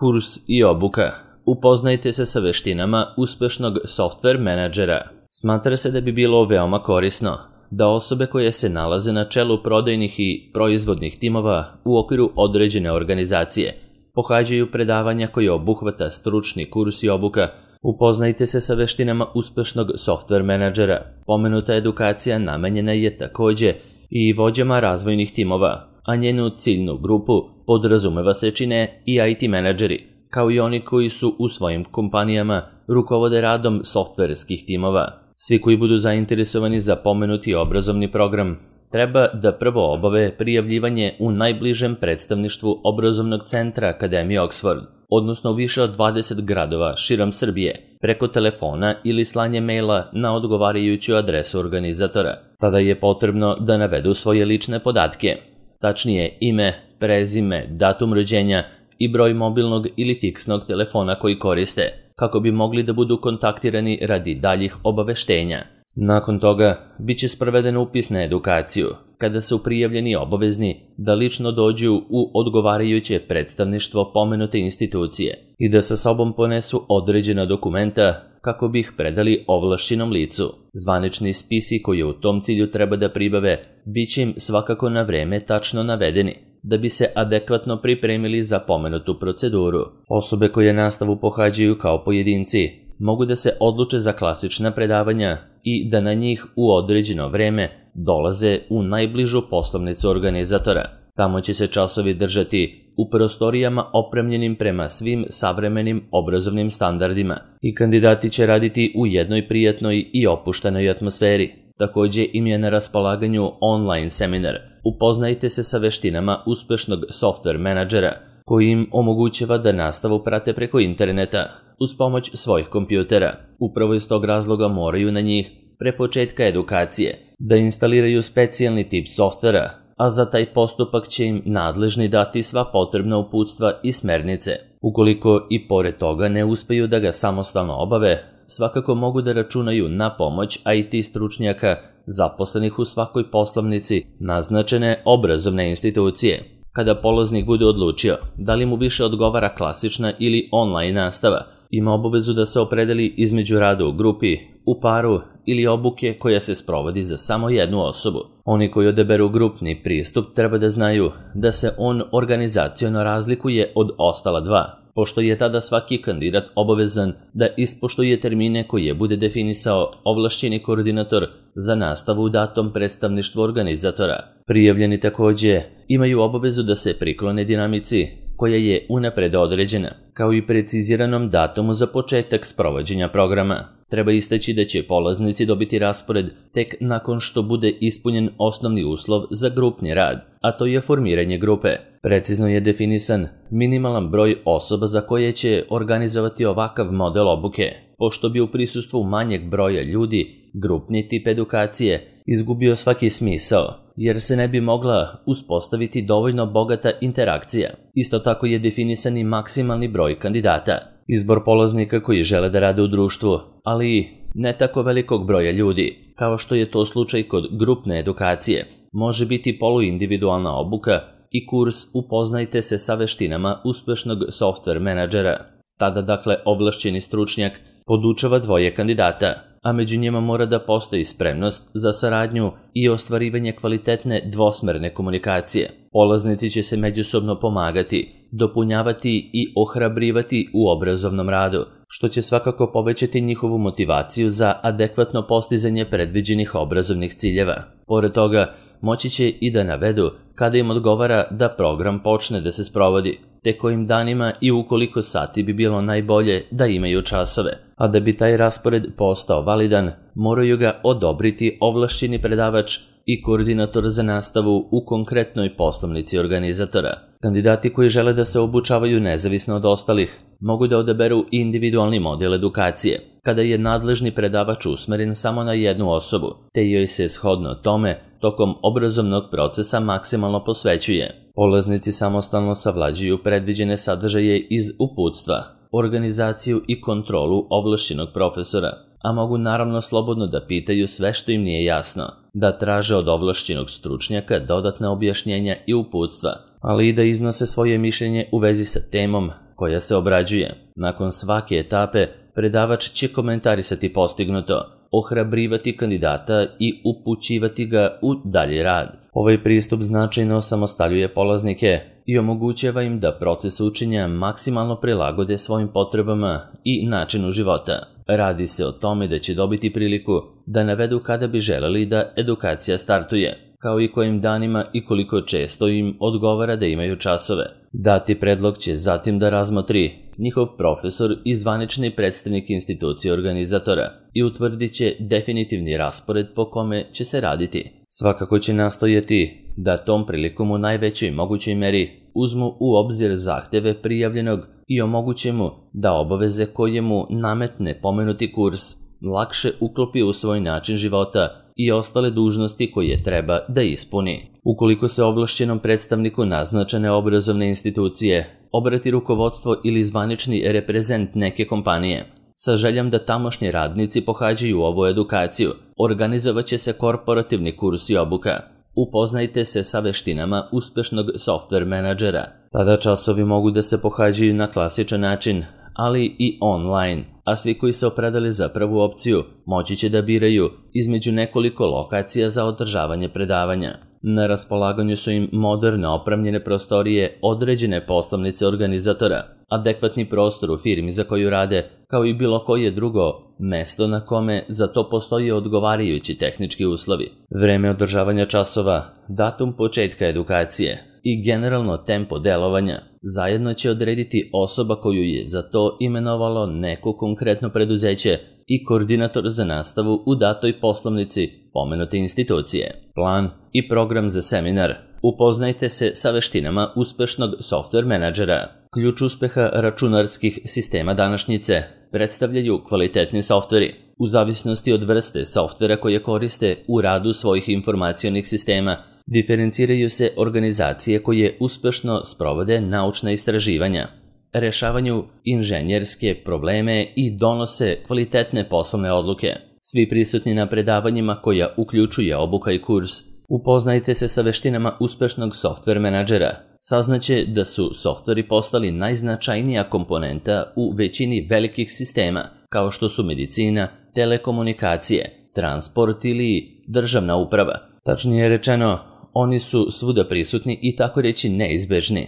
Kurs i obuka. Upoznajte se sa veštinama uspešnog software menadžera. Smatra se da bi bilo veoma korisno da osobe koje se nalaze na čelu prodajnih i proizvodnih timova u okviru određene organizacije pohađaju predavanja koje obuhvata stručni kurs i obuka. Upoznajte se sa veštinama uspešnog software menadžera. Pomenuta edukacija namenjena je takođe i vođama razvojnih timova, a njenu ciljnu grupu podrazumeva se čine i IT menadžeri, kao i oni koji su u svojim kompanijama rukovode radom softverskih timova. Svi koji budu zainteresovani za pomenuti obrazovni program treba da prvo obave prijavljivanje u najbližem predstavništvu obrazovnog centra Akademije Oxford, odnosno u više od 20 gradova širom Srbije, preko telefona ili slanje maila na odgovarajuću adresu organizatora. Tada je potrebno da navedu svoje lične podatke, tačnije ime, prezime, datum rođenja i broj mobilnog ili fiksnog telefona koji koriste, kako bi mogli da budu kontaktirani radi daljih obaveštenja. Nakon toga, bit će sproveden upis na edukaciju, kada su prijavljeni obavezni da lično dođu u odgovarajuće predstavništvo pomenute institucije i da sa sobom ponesu određena dokumenta kako bi ih predali ovlašćenom licu. Zvanični spisi koji u tom cilju treba da pribave bit će im svakako na vreme tačno navedeni, da bi se adekvatno pripremili za pomenutu proceduru. Osobe koje nastavu pohađaju kao pojedinci mogu da se odluče za klasična predavanja i da na njih u određeno vreme dolaze u najbližu poslovnicu organizatora. Tamo će se časovi držati u prostorijama opremljenim prema svim savremenim obrazovnim standardima i kandidati će raditi u jednoj prijatnoj i opuštenoj atmosferi. Takođe im je na raspolaganju online seminar. Upoznajte se sa veštinama uspešnog software menadžera, koji im omogućava da nastavu prate preko interneta uz pomoć svojih kompjutera. Upravo iz tog razloga moraju na njih, pre početka edukacije, da instaliraju specijalni tip softvera, a za taj postupak će im nadležni dati sva potrebna uputstva i smernice. Ukoliko i pored toga ne uspeju da ga samostalno obave, svakako mogu da računaju na pomoć IT stručnjaka zaposlenih u svakoj poslovnici naznačene obrazovne institucije. Kada polaznik bude odlučio da li mu više odgovara klasična ili online nastava, ima obavezu da se opredeli između rada u grupi, u paru ili obuke koja se sprovodi za samo jednu osobu. Oni koji odaberu grupni pristup treba da znaju da se on organizaciono razlikuje od ostala dva, pošto je tada svaki kandidat obavezan da ispoštuje termine koje bude definisao ovlašćeni koordinator za nastavu u datom predstavništvu organizatora. Prijavljeni takođe imaju obavezu da se priklone dinamici koja je unapred određena, kao i preciziranom datumu za početak sprovođenja programa. Treba istaći da će polaznici dobiti raspored tek nakon što bude ispunjen osnovni uslov za grupni rad, a to je formiranje grupe. Precizno je definisan minimalan broj osoba za koje će organizovati ovakav model obuke, pošto bi u prisustvu manjeg broja ljudi grupni tip edukacije izgubio svaki smisao, jer se ne bi mogla uspostaviti dovoljno bogata interakcija. Isto tako je definisan i maksimalni broj kandidata. Izbor polaznika koji žele da rade u društvu, ali ne tako velikog broja ljudi, kao što je to slučaj kod grupne edukacije, može biti poluindividualna obuka i kurs Upoznajte se sa veštinama uspešnog software menadžera. Tada dakle ovlašćeni stručnjak podučava dvoje kandidata, a među njima mora da postoji spremnost za saradnju i ostvarivanje kvalitetne dvosmerne komunikacije. Polaznici će se međusobno pomagati, dopunjavati i ohrabrivati u obrazovnom radu, što će svakako povećati njihovu motivaciju za adekvatno postizanje predviđenih obrazovnih ciljeva. Pored toga, moći će i da navedu kada im odgovara da program počne da se sprovodi, te kojim danima i u koliko sati bi bilo najbolje da imaju časove, a da bi taj raspored postao validan, moraju ga odobriti ovlašćeni predavač i koordinator za nastavu u konkretnoj poslovnici organizatora. Kandidati koji žele da se obučavaju nezavisno od ostalih mogu da odaberu individualni model edukacije, kada je nadležni predavač usmeren samo na jednu osobu, te joj se shodno tome tokom obrazovnog procesa maksimalno posvećuje. Polaznici samostalno savlađuju predviđene sadržaje iz uputstva, organizaciju i kontrolu ovlašćenog profesora, a mogu naravno slobodno da pitaju sve što im nije jasno, da traže od ovlašćenog stručnjaka dodatna objašnjenja i uputstva, ali i da iznose svoje mišljenje u vezi sa temom koja se obrađuje. Nakon svake etape, predavač će komentarisati postignuto, ohrabrivati kandidata i upućivati ga u dalji rad. Ovaj pristup značajno osamostaljuje polaznike i omogućava im da proces učenja maksimalno prilagode svojim potrebama i načinu života. Radi se o tome da će dobiti priliku da navedu kada bi želeli da edukacija startuje, kao i kojim danima i koliko često im odgovara da imaju časove. Dati predlog će zatim da razmotri njihov profesor i zvanični predstavnik institucije organizatora i utvrdit će definitivni raspored po kome će se raditi. Svakako će nastojati da tom prilikom u najvećoj mogućoj meri uzmu u obzir zahteve prijavljenog i omoguće mu da obaveze koje mu nametne pomenuti kurs lakše uklopi u svoj način života i ostale dužnosti koje treba da ispuni. Ukoliko se ovlašćenom predstavniku naznačene obrazovne institucije obrati rukovodstvo ili zvanični reprezent neke kompanije sa željom da tamošnji radnici pohađaju ovu edukaciju, organizovat će se korporativni kurs i obuka. Upoznajte se sa veštinama uspešnog software menadžera. Tada časovi mogu da se pohađaju na klasičan način, ali i online, a svi koji se opredali za prvu opciju moći će da biraju između nekoliko lokacija za održavanje predavanja. Na raspolaganju su im moderno opremljene prostorije određene poslovnice organizatora, adekvatni prostor u firmi za koju rade, kao i bilo koje drugo mesto na kome za to postoje odgovarajući tehnički uslovi. Vreme održavanja časova, datum početka edukacije i generalno tempo delovanja zajedno će odrediti osoba koju je za to imenovalo neko konkretno preduzeće i koordinator za nastavu u datoj poslovnici pomenute institucije. Plan i program za seminar. Upoznajte se sa veštinama uspešnog software menadžera. Ključ uspeha računarskih sistema današnjice predstavljaju kvalitetni softveri. U zavisnosti od vrste softvera koje koriste u radu svojih informacionih sistema, diferenciraju se organizacije koje uspešno sprovode naučna istraživanja, rešavanju inženjerske probleme i donose kvalitetne poslovne odluke. Svi prisutni na predavanjima koja uključuje obuka i kurs, upoznajte se sa veštinama uspešnog software menadžera. Saznaće da su softveri postali najznačajnija komponenta u većini velikih sistema, kao što su medicina, telekomunikacije, transport ili državna uprava. Tačnije rečeno, oni su svuda prisutni i tako reći neizbežni.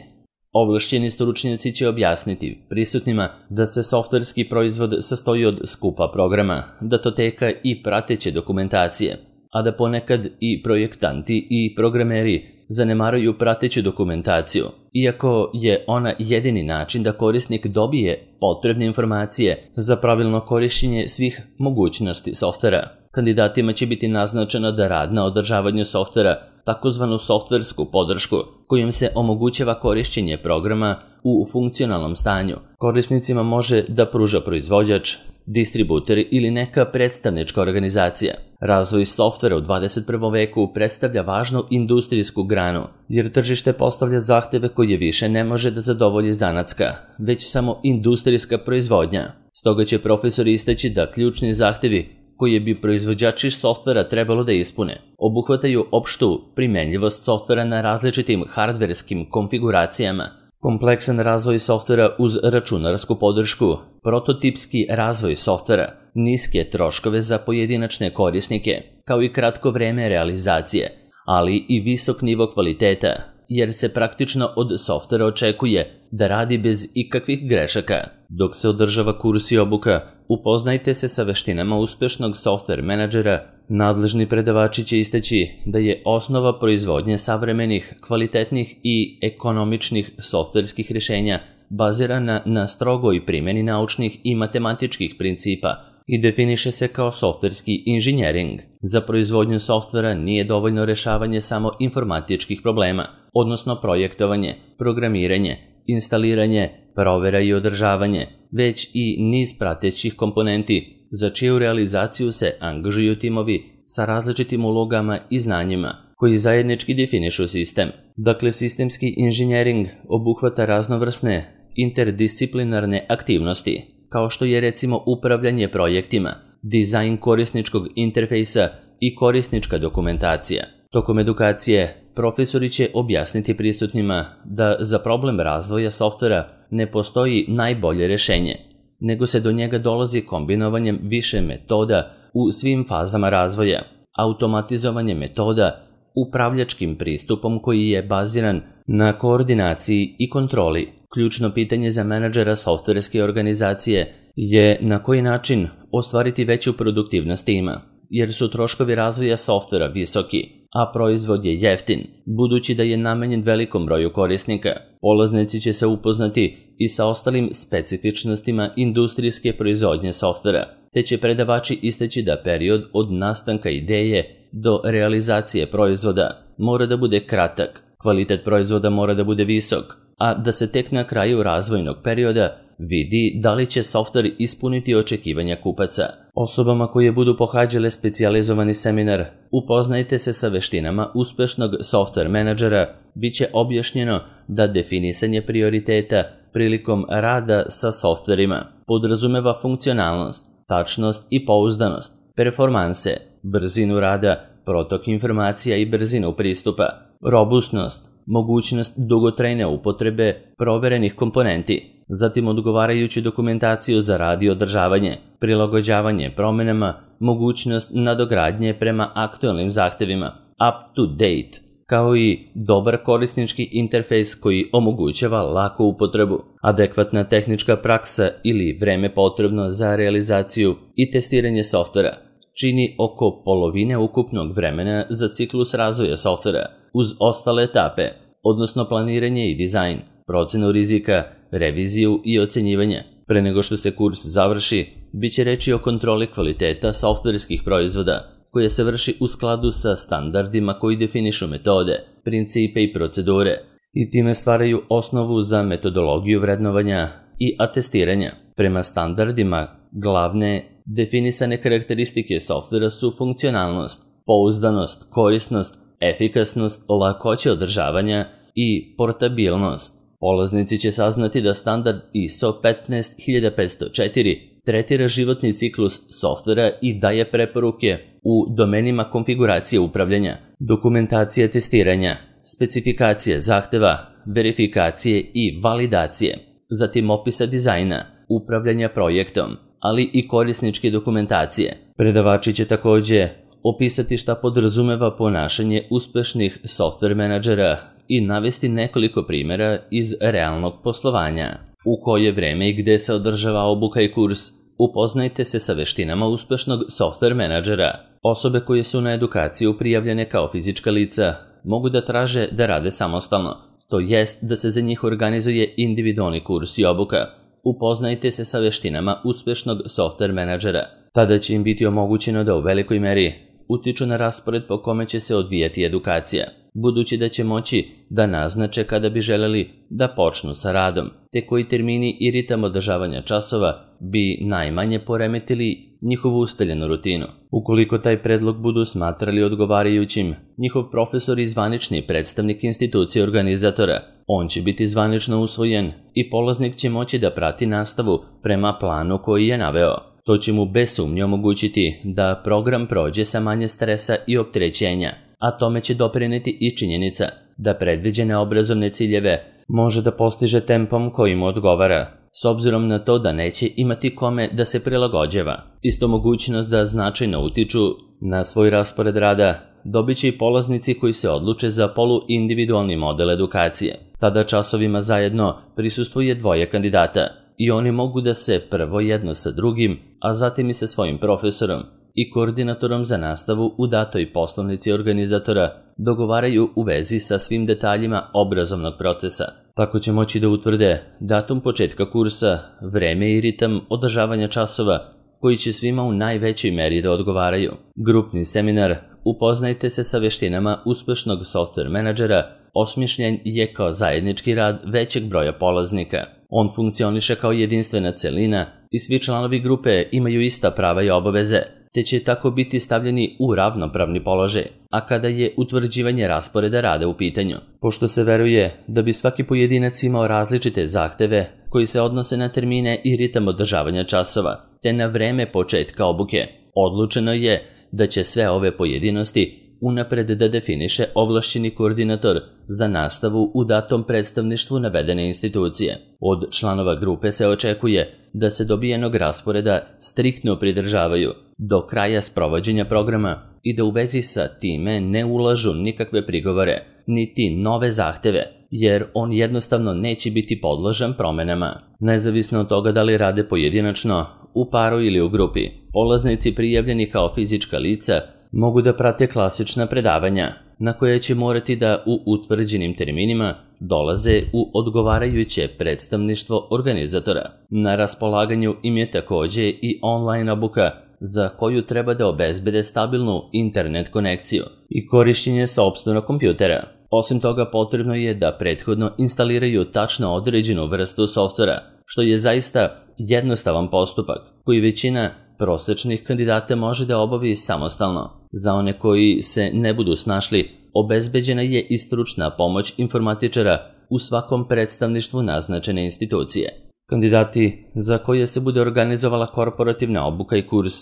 Ovlašćeni stručnjaci će objasniti prisutnima da se softverski proizvod sastoji od skupa programa, datoteka i prateće dokumentacije, a da ponekad i projektanti i programeri zanemaruju prateću dokumentaciju, iako je ona jedini način da korisnik dobije potrebne informacije za pravilno korišćenje svih mogućnosti softvera. Kandidatima će biti naznačeno da rad na održavanju softvera, takozvanu softversku podršku, kojom se omogućava korišćenje programa u funkcionalnom stanju, korisnicima može da pruža proizvođač, distributer ili neka predstavnička organizacija. Razvoj softvera u 21. veku predstavlja važnu industrijsku granu, jer tržište postavlja zahteve koje više ne može da zadovolji zanatska, već samo industrijska proizvodnja. Stoga će profesor istaći da ključni zahtevi koje bi proizvođači softvera trebalo da ispune obuhvataju opštu primenljivost softvera na različitim hardverskim konfiguracijama, kompleksan razvoj softvera uz računarsku podršku, prototipski razvoj softvera, niske troškove za pojedinačne korisnike, kao i kratko vreme realizacije, ali i visok nivo kvaliteta, jer se praktično od softvera očekuje da radi bez ikakvih grešaka. Dok se održava kurs i obuka, upoznajte se sa veštinama uspešnog software menadžera. Nadležni predavači će istaći da je osnova proizvodnje savremenih, kvalitetnih i ekonomičnih softverskih rješenja bazirana na strogoj primjeni naučnih i matematičkih principa i definiše se kao softverski inženjering. Za proizvodnju softvera nije dovoljno rešavanje samo informatičkih problema, odnosno projektovanje, programiranje, instaliranje, provera i održavanje, već i niz pratećih komponenti, za čiju realizaciju se angažuju timovi sa različitim ulogama i znanjima, koji zajednički definišu sistem. Dakle, sistemski inženjering obuhvata raznovrsne interdisciplinarne aktivnosti, kao što je recimo upravljanje projektima, dizajn korisničkog interfejsa i korisnička dokumentacija. Tokom edukacije profesori će objasniti prisutnima da za problem razvoja softvera ne postoji najbolje rješenje, nego se do njega dolazi kombinovanjem više metoda u svim fazama razvoja, automatizovanje metoda, upravljačkim pristupom koji je baziran na koordinaciji i kontroli. Ključno pitanje za menadžera softverske organizacije je na koji način ostvariti veću produktivnost tima, jer su troškovi razvoja softvera visoki, a proizvod je jeftin, budući da je namenjen velikom broju korisnika. Polaznici će se upoznati i sa ostalim specifičnostima industrijske proizvodnje softvera, te će predavači istaći da period od nastanka ideje do realizacije proizvoda mora da bude kratak, kvalitet proizvoda mora da bude visok, a da se tek na kraju razvojnog perioda vidi da li će softver ispuniti očekivanja kupaca. Osobama koje budu pohađale specijalizovani seminar Upoznajte se sa veštinama uspešnog softver menadžera, bit će objašnjeno da definisanje prioriteta prilikom rada sa softverima podrazumeva funkcionalnost, tačnost i pouzdanost, performanse, brzinu rada, protok informacija i brzinu pristupa, robustnost, mogućnost dugotrajne upotrebe proverenih komponenti, zatim odgovarajuću dokumentaciju za rad i održavanje, prilagođavanje promenama, mogućnost nadogradnje prema aktualnim zahtevima, up to date, kao i dobar korisnički interfejs koji omogućava laku upotrebu, adekvatna tehnička praksa ili vreme potrebno za realizaciju i testiranje softvera čini oko polovine ukupnog vremena za ciklus razvoja softvera, uz ostale etape, odnosno planiranje i dizajn, procenu rizika, reviziju i ocenjivanje. Pre nego što se kurs završi, bit će reči o kontroli kvaliteta softverskih proizvoda, koja se vrši u skladu sa standardima koji definišu metode, principe i procedure i time stvaraju osnovu za metodologiju vrednovanja i atestiranja. Prema standardima, glavne definisane karakteristike softvera su funkcionalnost, pouzdanost, korisnost, efikasnost, lakoća održavanja i portabilnost. Polaznici će saznati da standard ISO 15504 tretira životni ciklus softvera i daje preporuke u domenima konfiguracije upravljanja, dokumentacije testiranja, specifikacije zahteva, verifikacije i validacije, zatim opisa dizajna, upravljanja projektom, ali i korisničke dokumentacije. Predavači će također opisati šta podrazumeva ponašanje uspešnih softver menadžera i navesti nekoliko primjera iz realnog poslovanja. U koje vreme i gde se održava obuka i kurs, upoznajte se sa veštinama uspešnog softver menadžera. Osobe koje su na edukaciju prijavljene kao fizička lica mogu da traže da rade samostalno, to jest da se za njih organizuje individualni kurs i obuka. Upoznajte se sa veštinama uspešnog softver menadžera. Tada će im biti omogućeno da u velikoj meri utiču na raspored po kome će se odvijati edukacija, budući da će moći da naznače kada bi želeli da počnu sa radom, te koji termini i ritam održavanja časova bi najmanje poremetili njihovu ustaljenu rutinu. Ukoliko taj predlog budu smatrali odgovarajućim, njihov profesor i zvanični predstavnik institucije organizatora, on će biti zvanično usvojen i polaznik će moći da prati nastavu prema planu koji je naveo. To će mu bez sumnje omogućiti da program prođe sa manje stresa i opterećenja, a tome će doprineti i činjenica da predviđene obrazovne ciljeve može da postiže tempom koji mu odgovara, s obzirom na to da neće imati kome da se prilagođava. Isto mogućnost da značajno utiču na svoj raspored rada dobit će i polaznici koji se odluče za poluindividualni model edukacije. Tada časovima zajedno prisustvuje dvoje kandidata i oni mogu da se prvo jedno sa drugim, a zatim i sa svojim profesorom i koordinatorom za nastavu u datoj poslovnici organizatora dogovaraju u vezi sa svim detaljima obrazovnog procesa. Tako će moći da utvrde datum početka kursa, vreme i ritam održavanja časova koji će svima u najvećoj meri da odgovaraju. Grupni seminar Upoznajte se sa veštinama uspešnog softver menadžera osmišljen je kao zajednički rad većeg broja polaznika. On funkcioniše kao jedinstvena celina i svi članovi grupe imaju ista prava i obaveze, te će tako biti stavljeni u ravnopravni položaj, a kada je utvrđivanje rasporeda rada u pitanju. Pošto se veruje da bi svaki pojedinac imao različite zahteve koji se odnose na termine i ritam održavanja časova, te na vreme početka obuke, odlučeno je da će sve ove pojedinosti unapred da definiše ovlašćeni koordinator za nastavu u datom predstavništvu navedene institucije. Od članova grupe se očekuje da se dobijenog rasporeda striktno pridržavaju do kraja sprovođenja programa i da u vezi sa time ne ulažu nikakve prigovore, niti nove zahteve, jer on jednostavno neće biti podložan promenama. Nezavisno od toga da li rade pojedinačno, u paru ili u grupi, polaznici prijavljeni kao fizička lica mogu da prate klasična predavanja, na koje će morati da u utvrđenim terminima dolaze u odgovarajuće predstavništvo organizatora. Na raspolaganju im je takođe i online obuka za koju treba da obezbede stabilnu internet konekciju i korišćenje sopstvenog kompjutera. Osim toga, potrebno je da prethodno instaliraju tačno određenu vrstu softvera, što je zaista jednostavan postupak koji većina prosečnih kandidata može da obavi samostalno. Za one koji se ne budu snašli, obezbeđena je i stručna pomoć informatičara u svakom predstavništvu naznačene institucije. Kandidati za koje se bude organizovala korporativna obuka i kurs,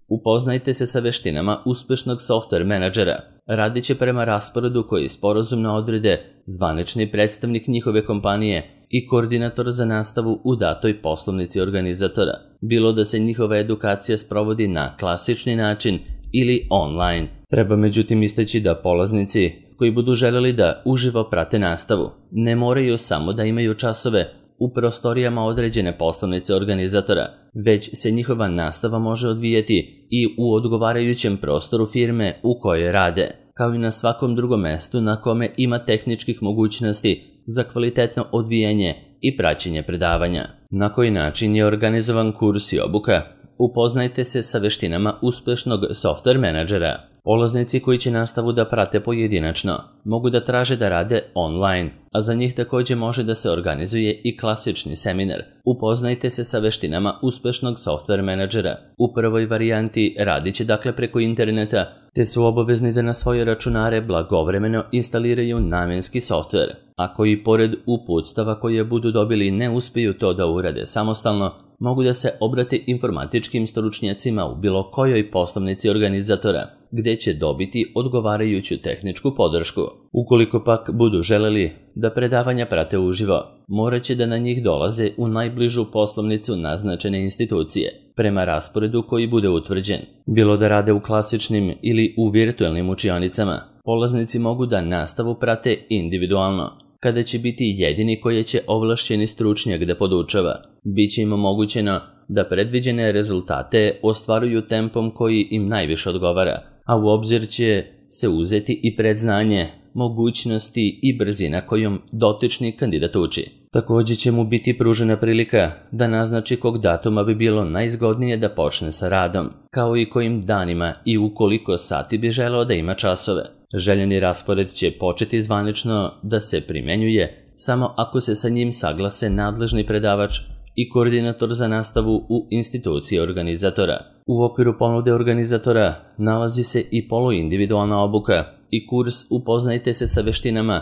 upoznajte se sa veštinama uspešnog software menadžera. Radit će prema rasporedu koji sporazumno odrede zvanični predstavnik njihove kompanije i koordinator za nastavu u datoj poslovnici organizatora, bilo da se njihova edukacija sprovodi na klasični način ili online. Treba međutim istaći da polaznici koji budu želeli da uživo prate nastavu ne moraju samo da imaju časove u prostorijama određene poslovnice organizatora, već se njihova nastava može odvijati i u odgovarajućem prostoru firme u kojoj rade, kao i na svakom drugom mestu na kome ima tehničkih mogućnosti za kvalitetno odvijanje i praćenje predavanja. Na koji način je organizovan kurs i obuka? Upoznajte se sa veštinama uspešnog software menadžera. Polaznici koji će nastavu da prate pojedinačno mogu da traže da rade online, a za njih takođe može da se organizuje i klasični seminar. Upoznajte se sa veštinama uspešnog software menadžera. U prvoj varijanti radit će dakle preko interneta, te su obavezni da na svoje računare blagovremeno instaliraju namenski software. Ako i pored uputstava koje budu dobili ne uspeju to da urade samostalno, mogu da se obrate informatičkim stručnjacima u bilo kojoj poslovnici organizatora, gde će dobiti odgovarajuću tehničku podršku. Ukoliko pak budu želeli da predavanja prate uživo, morat će da na njih dolaze u najbližu poslovnicu naznačene institucije, prema rasporedu koji bude utvrđen. Bilo da rade u klasičnim ili u virtualnim učionicama, polaznici mogu da nastavu prate individualno, kada će biti jedini koji će ovlašćeni stručnjak da podučava. Biće im omogućeno da predviđene rezultate ostvaruju tempom koji im najviše odgovara, a u obzir će se uzeti i predznanje, mogućnosti i brzina kojom dotični kandidat uči. Takođe će mu biti pružena prilika da naznači kog datuma bi bilo najzgodnije da počne sa radom, kao i kojim danima i u koliko sati bi želeo da ima časove. Željeni raspored će početi zvanično da se primenjuje samo ako se sa njim saglase nadležni predavač i koordinator za nastavu u instituciji organizatora. U okviru ponude organizatora nalazi se i poluindividualna obuka i kurs Upoznajte se sa veštinama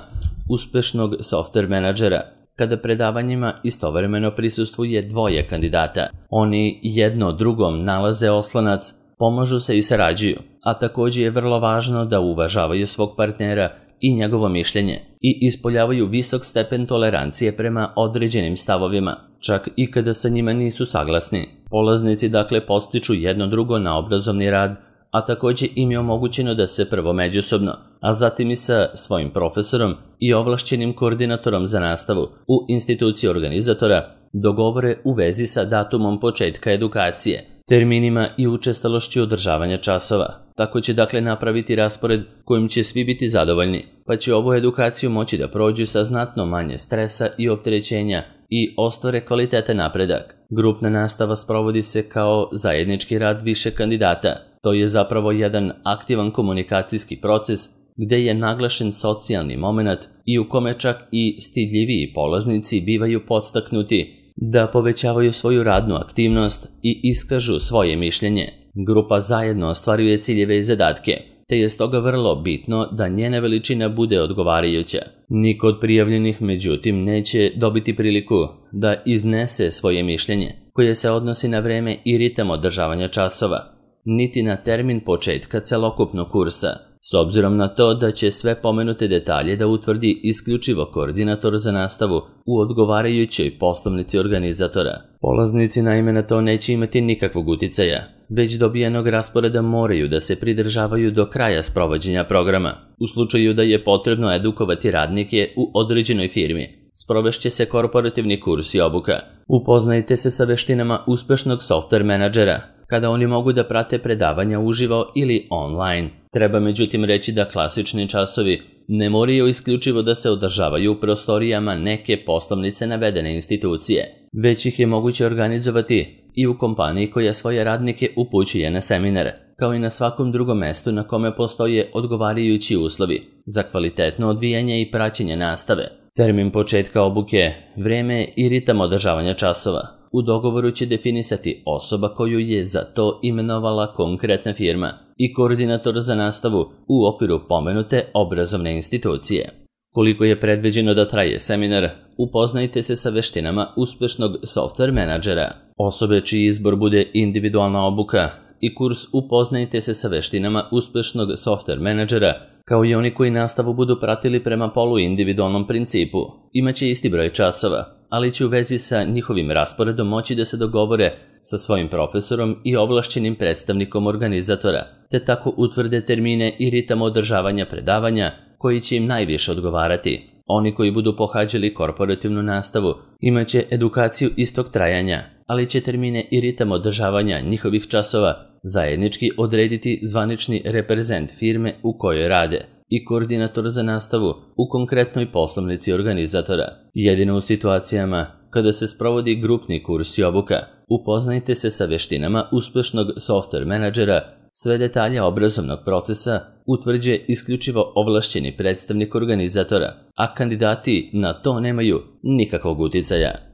uspešnog software menadžera, kada predavanjima istovremeno prisustvuje dvoje kandidata. Oni jedno drugom nalaze oslonac, pomažu se i sarađuju, a takođe je vrlo važno da uvažavaju svog partnera i njegovo mišljenje i ispoljavaju visok stepen tolerancije prema određenim stavovima, čak i kada sa njima nisu saglasni. Polaznici dakle podstiču jedno drugo na obrazovni rad, a takođe im je omogućeno da se prvo međusobno, a zatim i sa svojim profesorom i ovlašćenim koordinatorom za nastavu u instituciji organizatora dogovore u vezi sa datumom početka edukacije, terminima i učestalošću održavanja časova. Tako će dakle napraviti raspored kojim će svi biti zadovoljni, pa će ovu edukaciju moći da prođu sa znatno manje stresa i opterećenja i ostvare kvalitetan napredak. Grupna nastava sprovodi se kao zajednički rad više kandidata. To je zapravo jedan aktivan komunikacijski proces gde je naglašen socijalni moment i u kome čak i stidljiviji polaznici bivaju podstaknuti da povećavaju svoju radnu aktivnost i iskažu svoje mišljenje. Grupa zajedno ostvaruje ciljeve i zadatke, te je stoga vrlo bitno da njena veličina bude odgovarajuća. Niko od prijavljenih, međutim, neće dobiti priliku da iznese svoje mišljenje, koje se odnosi na vreme i ritam održavanja časova, niti na termin početka celokupnog kursa. s obzirom na to da će sve pomenute detalje da utvrdi isključivo koordinator za nastavu u odgovarajućoj poslovnici organizatora. Polaznici naime na to neće imati nikakvog uticaja, već dobijenog rasporeda moraju da se pridržavaju do kraja sprovođenja programa. U slučaju da je potrebno edukovati radnike u određenoj firmi, sprovešće se korporativni kurs i obuka. Upoznajte se sa veštinama uspešnog software menadžera, kada oni mogu da prate predavanja uživo ili online. Treba međutim reći da klasični časovi ne moraju isključivo da se održavaju u prostorijama neke poslovnice navedene institucije, već ih je moguće organizovati i u kompaniji koja svoje radnike upućuje na seminare, kao i na svakom drugom mestu na kome postoje odgovarajući uslovi za kvalitetno odvijanje i praćenje nastave. Termin početka obuke, vreme i ritam održavanja časova u dogovoru će definisati osoba koju je za to imenovala konkretna firma i koordinator za nastavu u okviru pomenute obrazovne institucije. Koliko je predviđeno da traje seminar, upoznajte se sa veštinama uspešnog software menadžera. Osobe čiji izbor bude individualna obuka i kurs upoznajte se sa veštinama uspešnog software menadžera, kao i oni koji nastavu budu pratili prema poluindividualnom principu. Imaće isti broj časova, ali će u vezi sa njihovim rasporedom moći da se dogovore sa svojim profesorom i ovlašćenim predstavnikom organizatora, te tako utvrde termine i ritam održavanja predavanja koji će im najviše odgovarati. Oni koji budu pohađali korporativnu nastavu imaće edukaciju istog trajanja, ali će termine i ritam održavanja njihovih časova zajednički odrediti zvanični reprezent firme u kojoj rade i koordinator za nastavu u konkretnoj poslovnici organizatora. Jedino u situacijama kada se sprovodi grupni kurs i obuka, upoznajte se sa veštinama uspešnog software menadžera. Sve detalje obrazovnog procesa utvrđuje isključivo ovlašćeni predstavnik organizatora, a kandidati na to nemaju nikakvog uticaja.